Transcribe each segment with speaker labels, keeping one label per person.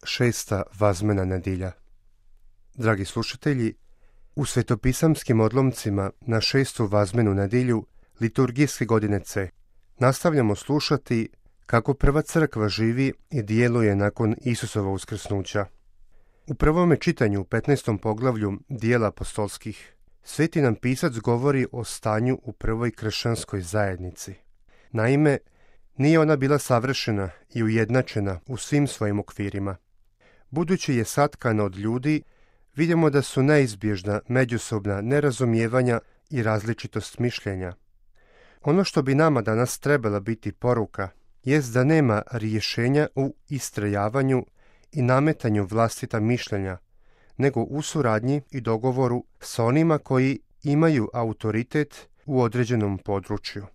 Speaker 1: šesta vazmena nedjelja. Dragi slušatelji, u svetopisamskim odlomcima na šestu vazmenu nedjelju liturgijske godine C nastavljamo slušati kako prva crkva živi i djeluje nakon Isusova uskrsnuća. U prvome čitanju u 15. poglavlju Dijela apostolskih sveti nam pisac govori o stanju u prvoj kršćanskoj zajednici. Naime, nije ona bila savršena i ujednačena u svim svojim okvirima. Budući je satkana od ljudi, vidimo da su neizbježna međusobna nerazumijevanja i različitost mišljenja. Ono što bi nama danas trebala biti poruka jest da nema rješenja u istrajavanju i nametanju vlastita mišljenja, nego u suradnji i dogovoru s onima koji imaju autoritet u određenom području.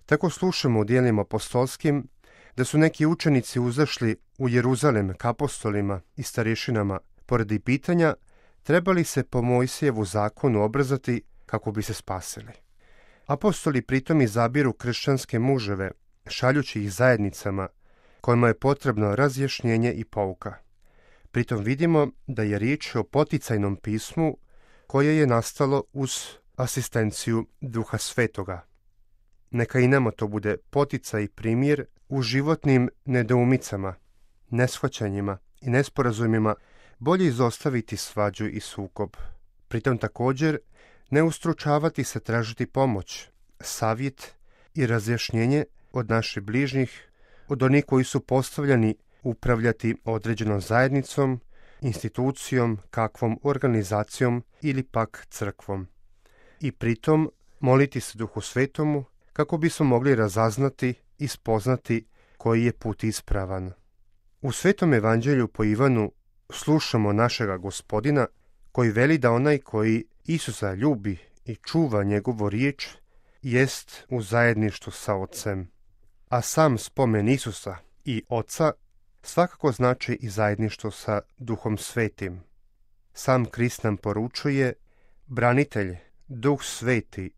Speaker 1: Tako slušamo u dijelima apostolskim da su neki učenici uzašli u Jeruzalem k apostolima i starješinama poradi pitanja trebali se po Mojsijevu zakonu obrazati kako bi se spasili. Apostoli pritom izabiru kršćanske muževe, šaljući ih zajednicama kojima je potrebno razjašnjenje i pouka. Pritom vidimo da je riječ o poticajnom pismu koje je nastalo uz asistenciju Duha Svetoga. Neka i nama to bude poticaj i primjer u životnim nedoumicama, neshvaćanjima i nesporazumima, bolje izostaviti svađu i sukob. Pritom također ne ustručavati se tražiti pomoć, savjet i razjašnjenje od naših bližnjih, od onih koji su postavljeni upravljati određenom zajednicom, institucijom, kakvom organizacijom ili pak crkvom. I pritom moliti se Duhu Svetomu kako bismo mogli razaznati i spoznati koji je put ispravan. U Svetom evanđelju po Ivanu slušamo našega Gospodina koji veli da onaj koji Isusa ljubi i čuva njegovu riječ jest u zajedništvu sa Otcem. A sam spomen Isusa i Oca svakako znači i zajedništvo sa Duhom Svetim. Sam Krist nam poručuje: branitelj, Duh Sveti,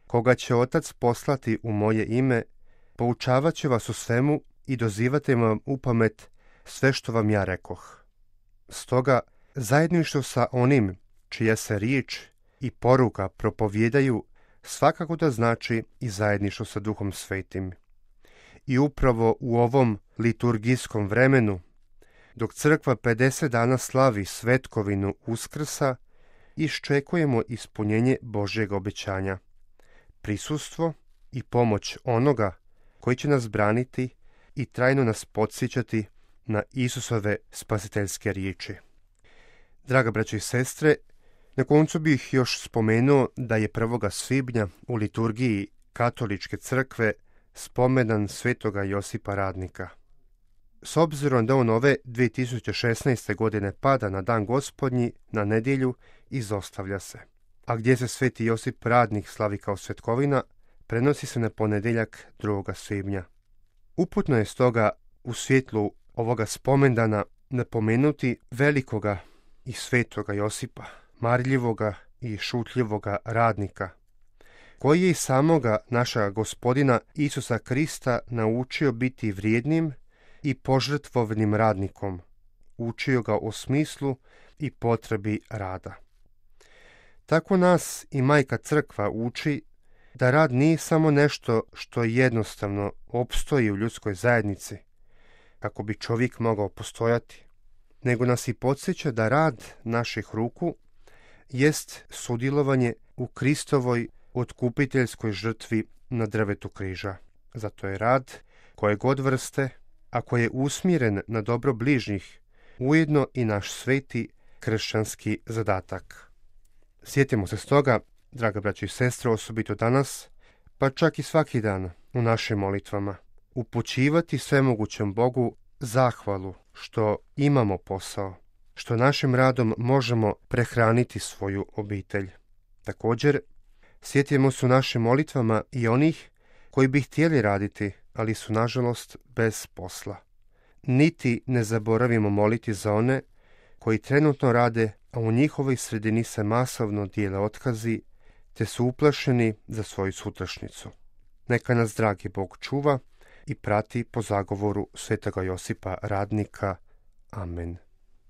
Speaker 1: koga će Otac poslati u moje ime, poučavat će vas u svemu i dozivati vam u pamet sve što vam ja rekoh. Stoga, zajedništvo sa onim čija se riječ i poruka propovijedaju svakako da znači i zajedništvo sa Duhom Svetim. I upravo u ovom liturgijskom vremenu, dok crkva 50 dana slavi svetkovinu Uskrsa, iščekujemo ispunjenje Božjeg obećanja, prisustvo i pomoć onoga koji će nas braniti i trajno nas podsjećati na Isusove spasiteljske riječi. Draga braćo i sestre, na koncu bih još spomenuo da je 1. svibnja u liturgiji Katoličke crkve spomendan svetoga Josipa Radnika. S obzirom da on ove 2016. godine pada na dan Gospodnji, na nedjelju, izostavlja se. A gdje se sveti Josip Radnik slavi kao svetkovina, prenosi se na ponedjeljak 2. svibnja. Uputno je stoga u svjetlu ovoga spomendana napomenuti velikoga i svetoga Josipa, marljivoga i šutljivoga radnika, koji je i samoga našega Gospodina Isusa Krista naučio biti vrijednim i požrtvovnim radnikom, učio ga o smislu i potrebi rada. Tako nas i Majka Crkva uči da rad nije samo nešto što jednostavno opstoji u ljudskoj zajednici, kako bi čovjek mogao postojati, nego nas i podsjeća da rad naših ruku jest sudjelovanje u Kristovoj otkupiteljskoj žrtvi na drvetu križa. Zato je rad, koje god vrste, ako je usmjeren na dobro bližnjih, ujedno i naš sveti kršćanski zadatak. Sjetimo se stoga, draga braći i sestre, osobito danas, pa čak i svaki dan u našim molitvama, upućivati svemogućem Bogu zahvalu što imamo posao, što našim radom možemo prehraniti svoju obitelj. Također, sjetimo se u našim molitvama i onih koji bi htjeli raditi, ali su nažalost bez posla. Niti ne zaboravimo moliti za one koji trenutno rade, a u njihovoj sredini se masovno dijele otkazi, te su uplašeni za svoju sutrašnjicu. Neka nas dragi Bog čuva i prati po zagovoru svetoga Josipa Radnika. Amen.